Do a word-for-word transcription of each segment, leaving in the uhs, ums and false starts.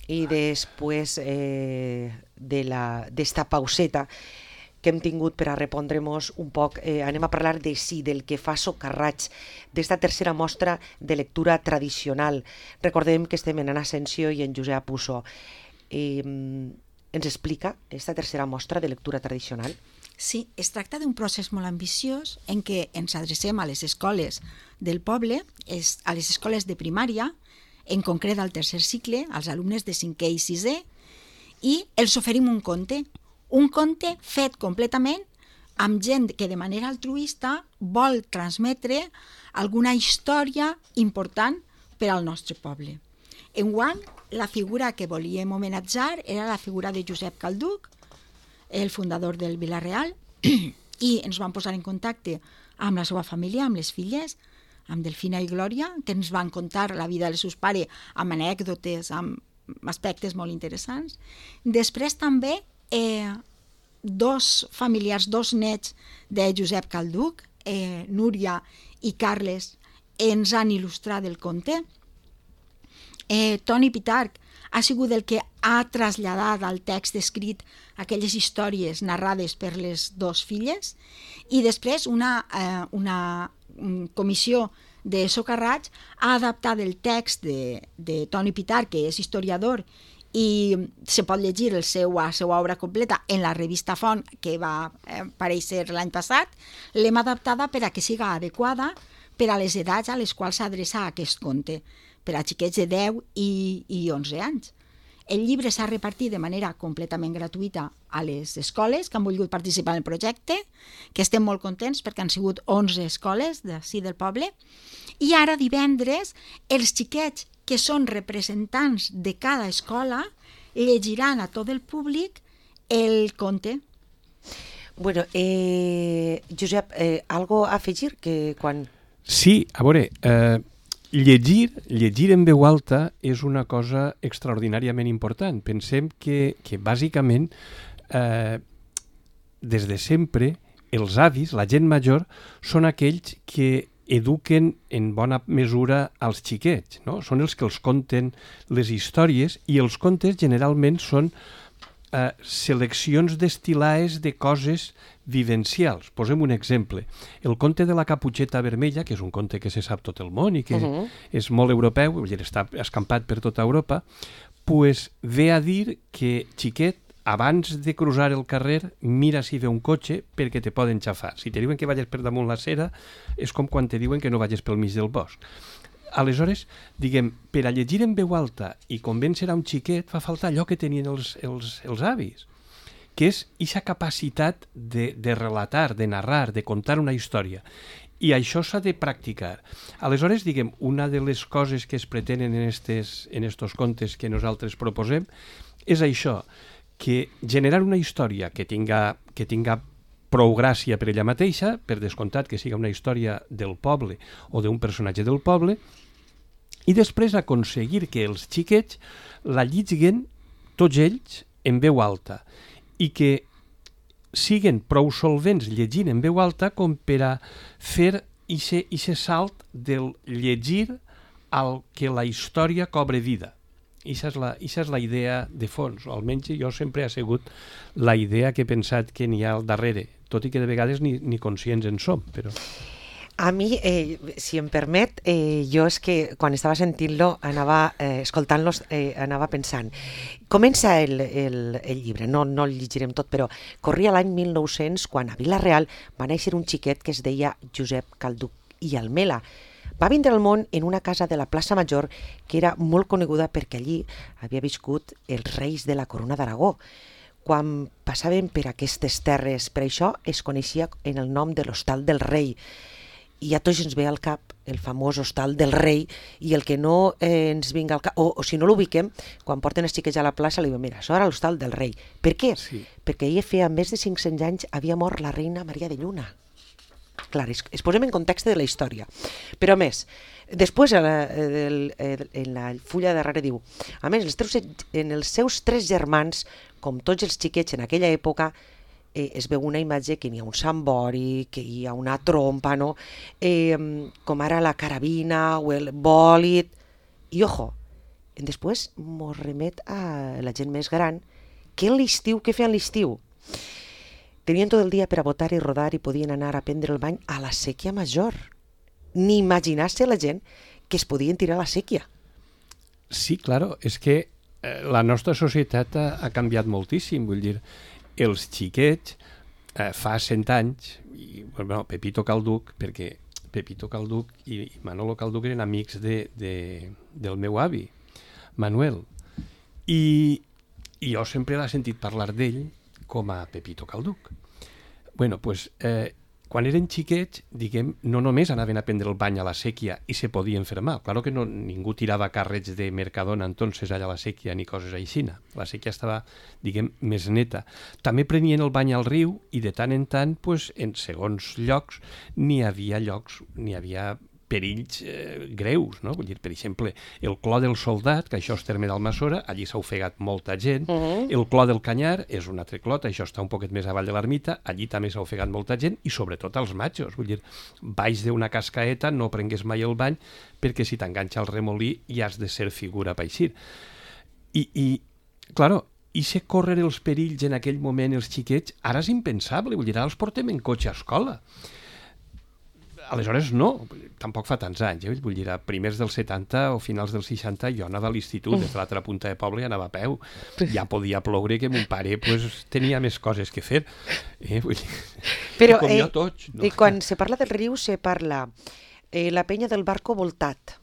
i després eh, de la, d'esta pauseta que hem tingut per a repondre-nos un poc, eh, anem a parlar de sí, del que fa Socarrats, d'esta tercera mostra de lectura tradicional. Recordem que estem en Anna Asensio i en Josep Pusso. Eh, ens explica esta tercera mostra de lectura tradicional? Sí, es tracta d'un procés molt ambiciós en què ens adrecem a les escoles del poble, a les escoles de primària, en concret al tercer cicle, als alumnes de cinquè i sisè, i els oferim un conte, un conte fet completament amb gent que de manera altruista vol transmetre alguna història important per al nostre poble. Enguany, la figura que volíem homenatjar era la figura de Josep Calduch, el fundador del Vila-real, i ens vam posar en contacte amb la seva família, amb les filles, amb Delfina i Glòria, que ens van contar la vida dels seus pares amb anècdotes, amb aspectes molt interessants. Després també eh, dos familiars, dos nets de Josep Calduch, eh, Núria i Carles, ens han il·lustrat el conte. Eh, Toni Pitarch ha sigut el que ha traslladat al text escrit aquelles històries narrades per les dues filles, i després una, eh, una comissió de Socarrats ha adaptat el text de, de Toni Pitarch, que és historiador, i se pot llegir el seu, la seva obra completa en la revista Font, que va aparèixer l'any passat. L'hem adaptada per a que siga adequada per a les edats a les quals s'adreça aquest conte, per a xiquets de deu i, i onze anys. El llibre s'ha repartit de manera completament gratuïta a les escoles que han volgut participar en el projecte, que estem molt contents perquè han sigut onze escoles d'ací del poble, i ara divendres els xiquets que són representants de cada escola llegiran a tot el públic el conte. Bueno, eh, Josep, eh, algo a afegir que quan... Sí, a veure, eh, llegir, llegir en veu alta és una cosa extraordinàriament important. Pensem que, que bàsicament, eh, des de sempre, els avis, la gent major, són aquells que eduquen en bona mesura als xiquets, no? Són els que els conten les històries, i els contes generalment són eh, seleccions destil·lades de coses vivencials. Posem un exemple. El conte de la Caputxeta Vermella, que és un conte que se sap tot el món i que uh-huh. és molt europeu, vull dir, està escampat per tota Europa, pues ve a dir que, xiquet, abans de cruzar el carrer, mira si ve un cotxe perquè te poden xafar. Si te diuen que vagis per damunt la cera, és com quan te diuen que no vagis pel mig del bosc. Aleshores, diguem, per a llegir en veu alta i convèncer a un xiquet fa falta allò que tenien els, els, els avis, que és aquesta capacitat de, de relatar, de narrar, de contar una història. I això s'ha de practicar. Aleshores, diguem, una de les coses que es pretenen en estos, en estos contes que nosaltres proposem és això, que generar una història que tinga, que tinga prou gràcia per ella mateixa, per descomptat que siga una història del poble o d'un personatge del poble, i després aconseguir que els xiquets la lleguen tots ells en veu alta i que siguen prou solvents llegint en veu alta com per a fer aquest salt del llegir al que la història cobre vida. Ixa és, la, ixa és la idea de fons, o almenys jo sempre ha sigut la idea que he pensat que n'hi ha al darrere, tot i que de vegades ni, ni conscients en som. Però... A mi, eh, si em permet, eh, jo és que quan estava sentint-lo, anava eh, escoltant-los, eh, anava pensant. Comença el, el, el llibre, no, no el llegirem tot, però corria l'any mil nou-cents, quan a Vila-real va néixer un xiquet que es deia Josep Calduch i Almela. Va vindre al món en una casa de la plaça Major que era molt coneguda perquè allí havia viscut els reis de la Corona d'Aragó. Quan passaven per aquestes terres, per això es coneixia en el nom de l'Hostal del Rei. I a tots ens ve al cap el famós Hostal del Rei, i el que no eh, ens vinga al cap, o, o si no l'ubiquem, quan porten els xiquets a la plaça li diuen, mira, això era l'Hostal del Rei. Per què? Sí. Perquè ahir feia més de cinc-cents anys havia mort la reina Maria de Lluna. Clar, es, es posem en context de la història. Però a més, després en la, en la fulla de darrere diu, a més, els teus, en els seus tres germans, com tots els xiquets en aquella època, eh, es veu una imatge que hi ha un sambori, que hi ha una trompa, no? eh, com ara la carabina o el bòlit. I ojo, després mos remet a la gent més gran, que en l'estiu, què feien l'estiu? Tenien tot el dia per a botar i rodar i podien anar a prendre el bany a la sèquia major. Ni imaginar-se la gent que es podien tirar a la sèquia. Sí, claro, és que eh, la nostra societat ha, ha canviat moltíssim, vull dir, els xiquets eh, fa cent anys, i, bueno, Pepito Calduc, perquè Pepito Calduc i, i Manolo Calduc eren amics de, de, del meu avi, Manuel, i, i jo sempre l'he sentit parlar d'ell com a Pepito Calduc. Bueno, pues, eh, quan eren xiquets, diguem, no només anaven a prendre el bany a la sèquia i se podien fermar. Claro que no, ningú tirava càrrecs de Mercadona entonces allà a la sèquia ni coses així. La sèquia estava, diguem, més neta. També prenien el bany al riu i de tant en tant, pues, en segons llocs, n'hi havia llocs, n'hi havia perills eh, greus, no? Vull dir, per exemple, el Clot del Soldat, que això és terme d'Almassora, allí s'ha ofegat molta gent. Uh-huh. El Clot del Canyar és un altre clot, això està un poquet més avall de l'ermita, allí també s'ha ofegat molta gent, i sobretot els matxos. Vull dir, baix d'una cascaeta no prengues mai el bany, perquè si t'enganxa el remolí ja has de ser figura per eixir. I, i claro, i se córrer els perills en aquell moment els xiquets, ara és impensable, vull dir, ara els portem en cotxe a escola. Aleshores no, tampoc fa tants anys, eh? Vull dir, a primers dels setanta o finals dels seixanta jo anava a l'institut, des de l'altra punta de poble i anava a peu. Ja podia ploure que mon pare pues, tenia més coses que fer. Eh? Vull dir, però com eh, jo tots. No? I quan se parla del riu se parla eh, la penya del barco voltat,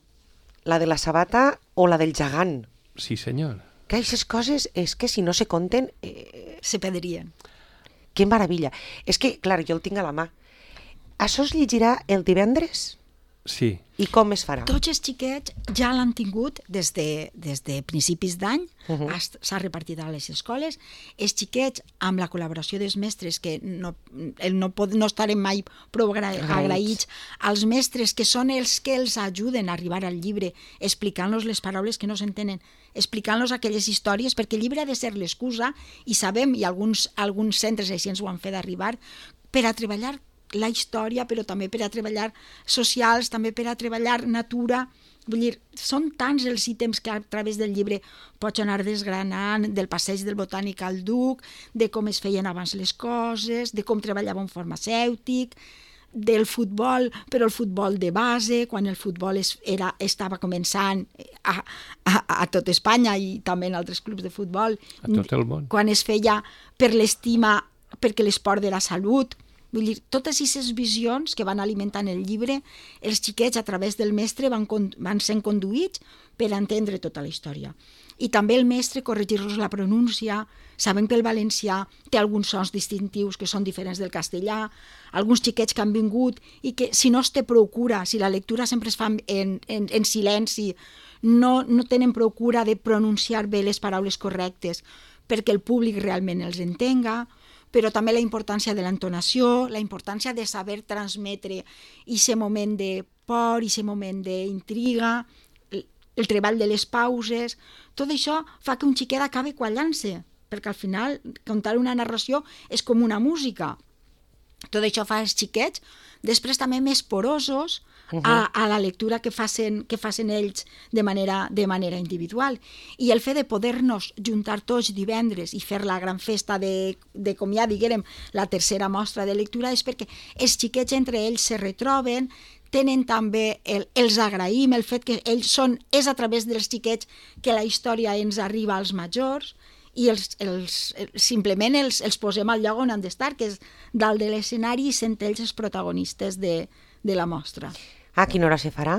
la de la sabata o la del gegant. Sí, senyor. Que aquestes coses és que si no se conten... Eh, se perdrien. Que meravella. És que, clar, jo el tinc a la mà. Això es llegirà el divendres? Sí. I com es farà? Tots els xiquets ja l'han tingut des de, des de principis d'any, uh-huh. S'ha repartit a les escoles. Els xiquets, amb la col·laboració dels mestres, que no, no, pot, no estarem mai prou agraïts, als mestres que són els que els ajuden a arribar al llibre, explicant-los les paraules que no s'entenen, explicant-los aquelles històries, perquè el llibre ha de ser l'excusa, i sabem, i alguns, alguns centres així ens ho han fet arribar, per a treballar la història, però també per a treballar socials, també per a treballar natura. Vull dir, són tants els ítems que a través del llibre pots anar desgranant, del passeig del botànic al Duc, de com es feien abans les coses, de com treballava un farmacèutic, del futbol, però el futbol de base, quan el futbol es, era, estava començant a, a, a tot Espanya i també en altres clubs de futbol. A tot el món. Quan es feia per l'estima, perquè l'esport de la salut. Vull dir, totes aquestes visions que van alimentant el llibre, els xiquets a través del mestre van, van sent conduïts per entendre tota la història. I també el mestre corregir-los la pronúncia, sabem que el valencià té alguns sons distintius que són diferents del castellà, alguns xiquets que han vingut i que si no es té prou cura, si la lectura sempre es fa en, en, en silenci, no, no tenen prou cura de pronunciar bé les paraules correctes perquè el públic realment els entenga, però també la importància de l'entonació, la importància de saber transmetre aquest moment de por, aquest moment d'intriga, el, el treball de les pauses. Tot això fa que un xiquet acabi quallant-se, perquè al final contar una narració és com una música. Tot això fa els xiquets després també més porosos uh-huh. a, a la lectura que facin, que facin ells de manera, de manera individual. I el fet de poder-nos juntar tots divendres i fer la gran festa de, de com ja diguérem, la tercera mostra de lectura és perquè els xiquets entre ells se retroben, tenen també, el, els agraïm, el fet que ells són, és a través dels xiquets que la història ens arriba als majors, i els, els, simplement els, els posem al lloc on han d'estar, que és dalt de l'escenari, i sent ells els protagonistes de, de la mostra. A quina hora se farà?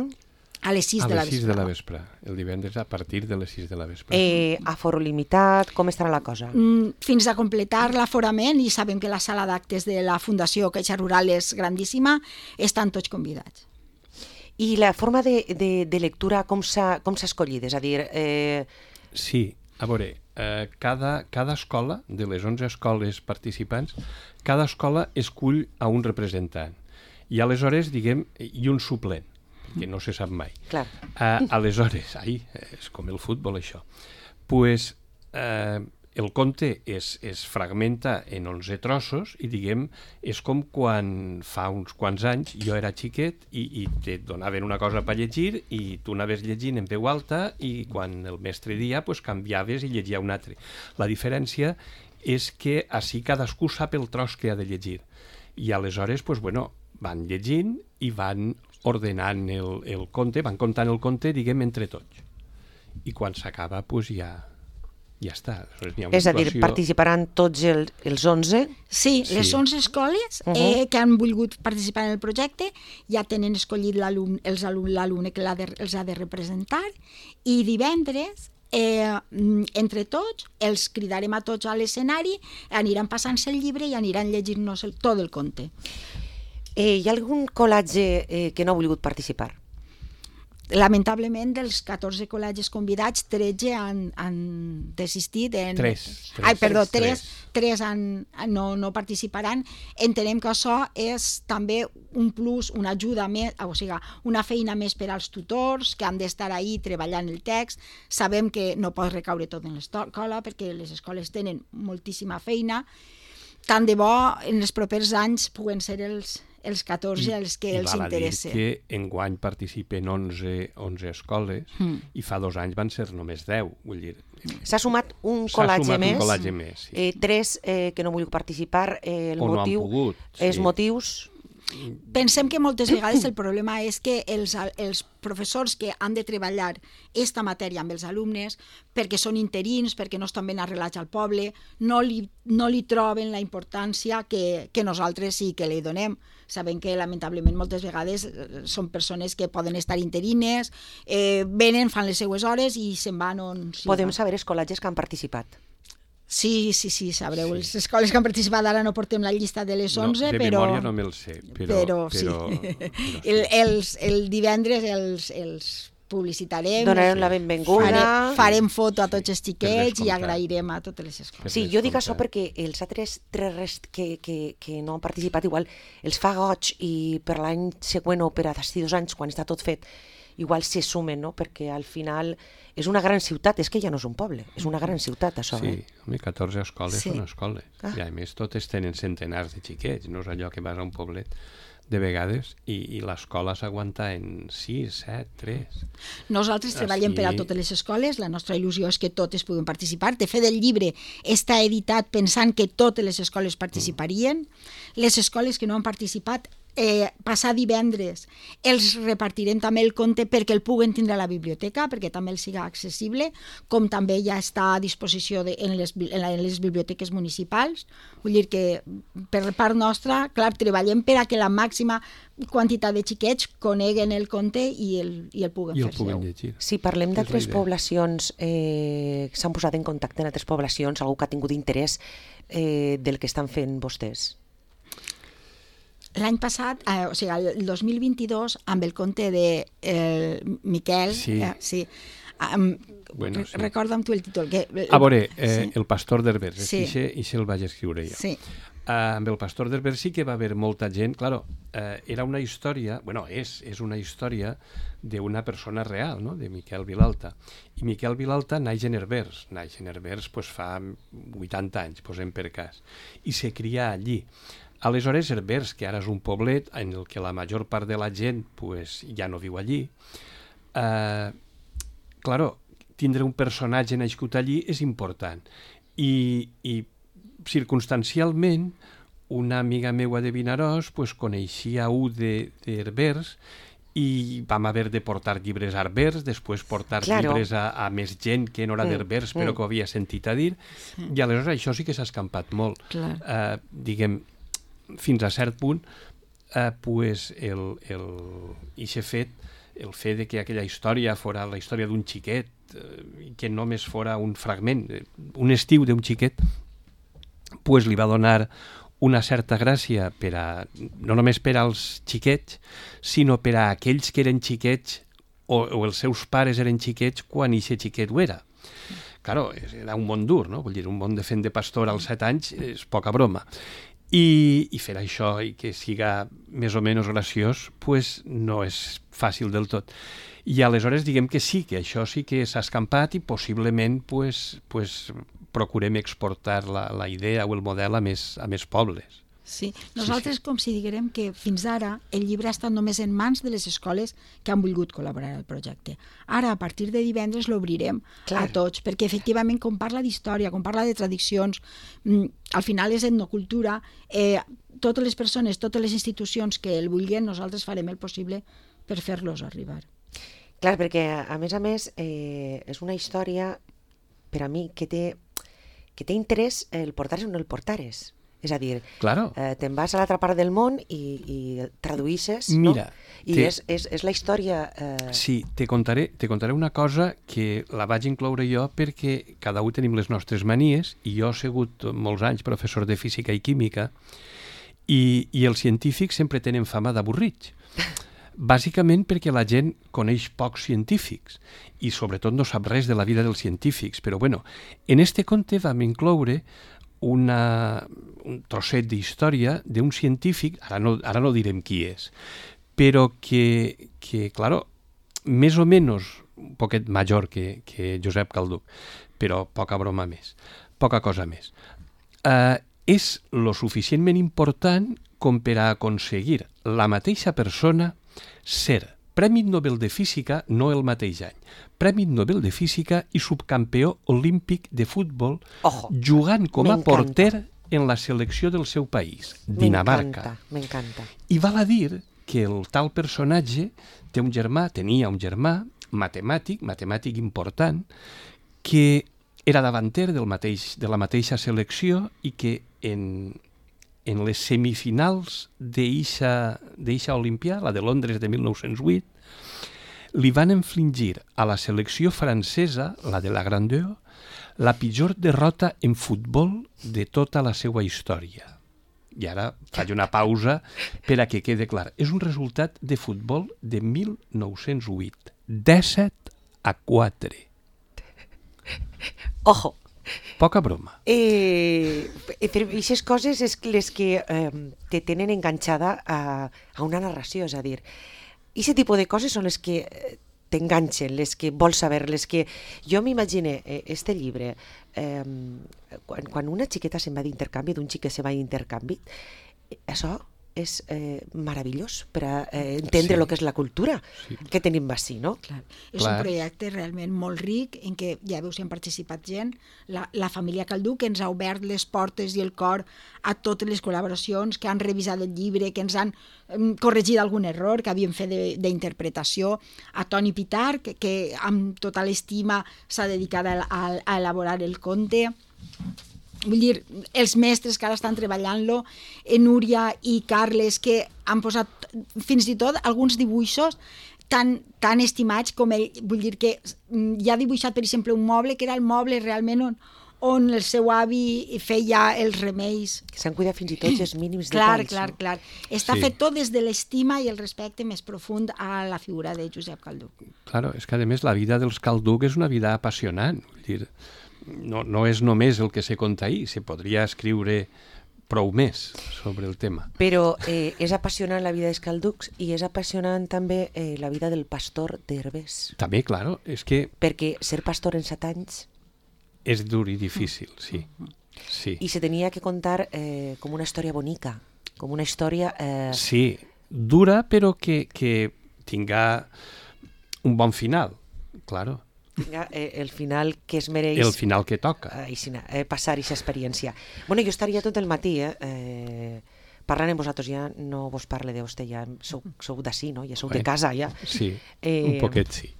A les sis a de la les sis vespre. de la vespre. El divendres a partir de les sis de la vespre. Eh, aforo limitat, com estarà la cosa? Mm, fins a completar l'aforament, i sabem que la sala d'actes de la Fundació Caixa Rural és grandíssima, estan tots convidats. I la forma de, de, de lectura com s'ha com s'ha escollit? És a dir... Eh... Sí, a veure, eh, cada, cada escola, de les onze escoles participants, cada escola escull a un representant. I aleshores, diguem, i un suplent, que no se sap mai. Clar. Eh, aleshores, ai, és com el futbol, això. Pues, eh, el conte es, es fragmenta en onze trossos i, diguem, és com quan fa uns quants anys jo era xiquet i, i te donaven una cosa per llegir i tu anaves llegint en veu alta i quan el mestre dia pues, canviaves i llegia un altre. La diferència és que així cadascú sap el tros que ha de llegir i aleshores pues, bueno, van llegint i van ordenant el, el conte, van contant el conte, diguem, entre tots. I quan s'acaba, pues, ja... ja està. És a dir, participaran tots el, els onze? Sí, sí, les onze escoles uh -huh. eh, que han volgut participar en el projecte ja tenen escollit l'alumne que de, els ha de representar i divendres, eh, entre tots, els cridarem a tots a l'escenari, aniran passant-se el llibre i aniran llegint-nos el, tot el conte. Eh, hi ha algun col·legi eh, que no ha volgut participar? Lamentablement, dels catorze col·legis convidats, tretze han, han desistit. En... Tres, tres. Ai, perdó, tres, tres, tres han, no, no participaran. Entenem que això és també un plus, una ajuda més, o sigui, una feina més per als tutors que han d'estar ahí treballant el text. Sabem que no pot recaure tot en l'escola perquè les escoles tenen moltíssima feina. Tant de bo en els propers anys puguen ser els els catorze els que I els interessa. I val a dir que enguany participen onze, onze escoles mm. i fa dos anys van ser només deu. Vull dir, s'ha sumat un col·legi més, un col·legi més sí. eh, tres eh, que no vull participar, eh, el o motiu, no han pogut. Els sí. motius... Pensem que moltes vegades el problema és que els, els professors que han de treballar esta matèria amb els alumnes, perquè són interins, perquè no estan ben arrelats al poble, no li, no li troben la importància que, que nosaltres sí que li donem. Sabem que lamentablement moltes vegades són persones que poden estar interines, eh, venen, fan les seues hores i se'n van on... Sí, Podem saber els col·legis que han participat? Sí, sí, sí, sabreu. Sí. Les escoles que han participat, ara no portem la llista de les onze, no, de però... memòria no me'l sé, però... Però, sí. Però, però sí. El, els, el divendres els, els publicitarem. Donarem la benvinguda. Farem, farem foto a tots els xiquets i agrairem a totes les escoles. Sí, jo dic això perquè els altres tres rest que, que, que no han participat igual els fa goig i per l'any següent o per a d'ací dos anys, quan està tot fet, igual se sumen, no? Perquè al final és una gran ciutat, és que ja no és un poble, és una gran ciutat, això. Sí, eh? home, catorze escoles Sí. són escoles. Ah. I a més totes tenen centenars de xiquets, no és allò que vas a un poblet de vegades i, i l'escola s'aguanta en sis, set, tres. Nosaltres treballem Així- per a totes les escoles, la nostra il·lusió és que totes puguen participar. De fet, el llibre està editat pensant que totes les escoles participarien. Les escoles que no han participat, eh, passar divendres els repartirem també el conte perquè el puguen tindre a la biblioteca, perquè també els siga accessible, com també ja està a disposició de, en, les, en les biblioteques municipals. Vull dir que per part nostra, clar, treballem per a que la màxima quantitat de xiquets coneguen el conte i el, i el puguen I el fer puguen seu. llegir. Si parlem És la d'altres idea. poblacions, eh, s'han posat en contacte en altres poblacions, algú que ha tingut interès eh, del que estan fent vostès? L'any passat, eh, o sigui, el dos mil vint-i-dos, amb el conte de eh, Miquel, Sí. eh, sí, um, Bueno, sí. recorda'm tu el títol. Que, A veure, eh, sí. el pastor d'Herbers, Sí. sí. i això el vaig escriure jo. Sí. Uh, amb el pastor d'Herbers sí que va haver molta gent, claro, uh, era una història, bueno, és, és una història d'una persona real, no?, de Miquel Vilalta. I Miquel Vilalta naix en Herbers, naix en Herbers pues, fa vuitanta anys, posem per cas, i se cria allí. Aleshores, Herbers, que ara és un poblet en el que la major part de la gent pues, ja no viu allí, uh, claro, tindre un personatge nascut allí és important. I, i circumstancialment, una amiga meua de Vinaròs pues, coneixia un d'Herbers i vam haver de portar llibres a Herbers, després portar Claro. llibres a, a més gent que no era Mm, d'Herbers, però mm. que ho havia sentit a dir, Sí. i aleshores això sí que s'ha escampat molt. Clar. Uh, diguem, fins a cert punt, uh, pues el, el, ixe fet, el fet de que aquella història fora la història d'un xiquet, i que només fora un fragment, un estiu d'un xiquet, pues li va donar una certa gràcia per a, no només per als xiquets, sinó per a aquells que eren xiquets o, o els seus pares eren xiquets quan ixe xiquet ho era. Claro, era un món dur, no? Vull dir, un món de fent de pastor als set anys és poca broma. I, i fer això i que siga més o menys graciós, pues no és fàcil del tot. I aleshores diguem que sí, que això sí que s'ha escampat i possiblement pues, pues, procurem exportar la, la idea o el model a més, a més pobles. Sí, nosaltres sí, sí. considerem que fins ara el llibre ha estat només en mans de les escoles que han volgut col·laborar al projecte. Ara, a partir de divendres, l'obrirem a tots, perquè efectivament, com parla d'història, com parla de tradicions, al final és etnocultura, eh, totes les persones, totes les institucions que el vulguin, nosaltres farem el possible per fer-los arribar. Clar, perquè a més a més eh, és una història, per a mi, que té, que té interès el portares o no el portares. És a dir, claro. eh, te'n vas a l'altra part del món i, i traduïsses, Mira, no? I te... és, és, és la història... Eh... Sí, te contaré, te contaré una cosa que la vaig incloure jo perquè cada un tenim les nostres manies i jo he sigut molts anys professor de física i química i, i els científics sempre tenen fama d'avorrits. Bàsicament perquè la gent coneix pocs científics i sobretot no sap res de la vida dels científics. Però bueno, en este conte vam incloure una, un trosset d'història d'un científic, ara no, ara no direm qui és, però que, que claro, més o menys un poquet major que, que Josep Calduch, però poca broma més, poca cosa més. Uh, és lo suficientment important com per a aconseguir la mateixa persona ser Premi Nobel de Física, no el mateix any, Premi Nobel de Física i subcampió olímpic de futbol, Ojo, jugant com a porter en la selecció del seu país, Dinamarca. M'encanta. I val a dir que el tal personatge té un germà, tenia un germà, matemàtic, matemàtic important, que era davanter del mateix, de la mateixa selecció i que en, en les semifinals d'eixa Olimpia, la de Londres de mil nou-cents vuit, li van infligir a la selecció francesa, la de la Grandeur, la pitjor derrota en futbol de tota la seva història. I ara faig una pausa per a que quede clar. És un resultat de futbol de mil nou-cents vuit. disset a quatre. Ojo. Poca broma. Eh, però aquestes coses és les que eh, te tenen enganxada a, a una narració, és a dir, aquest tipus de coses són les que t'enganxen, les que vols saber, les que... Jo m'imagine, eh, este llibre, eh, quan, quan una xiqueta se'n va d'intercanvi, d'un xic que se va d'intercanvi, eh, això és eh, meravellós per a eh, entendre el sí. que és la cultura sí. que tenim així, no? Clar. És Clar. un projecte realment molt ric en què, ja veus, hi han participat gent, la, la família Calduch, que ens ha obert les portes i el cor a totes les col·laboracions, que han revisat el llibre, que ens han um, corregit algun error que havíem fet d'interpretació, a Toni Pitar, que, que amb total estima s'ha dedicat a, a, a elaborar el conte. Vull dir, els mestres que ara estan treballant-lo, Núria i Carles, que han posat fins i tot alguns dibuixos tan, tan estimats com ell. Vull dir que ja ha dibuixat, per exemple, un moble, que era el moble realment on, on el seu avi feia els remeis. Que s'han cuidat fins i tot els mínims clar, detalls. Clar, no? clar, clar. Està sí. fet tot des de l'estima i el respecte més profund a la figura de Josep Calduch. Claro, és que a més la vida dels Calduch és una vida apassionant. Vull dir, no, no és només el que se conta ahir, se podria escriure prou més sobre el tema. Però eh, és apassionant la vida dels Calduchs i és apassionant també eh, la vida del pastor d'Herbers. També, claro, és que... Perquè ser pastor en set anys... És dur i difícil, sí. sí. I se tenia que contar eh, com una història bonica, com una història... Eh... Sí, dura, però que, que tinga un bon final, claro. Tinga eh, el final que es mereix... El final que toca. Eh, eh, passar aquesta experiència. Bueno, jo estaria tot el matí, eh, eh, parlant amb vosaltres, ja no vos parle de vostè, ja sou, sou d'ací, no? Ja sou bueno, de casa, ja. Sí, eh, un poquet sí.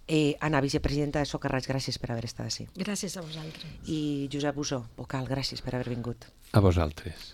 Eh, Anna, vicepresidenta de Socarrats, gràcies per haver estat ací. Gràcies a vosaltres. I Josep Bussó, vocal, gràcies per haver vingut. A vosaltres.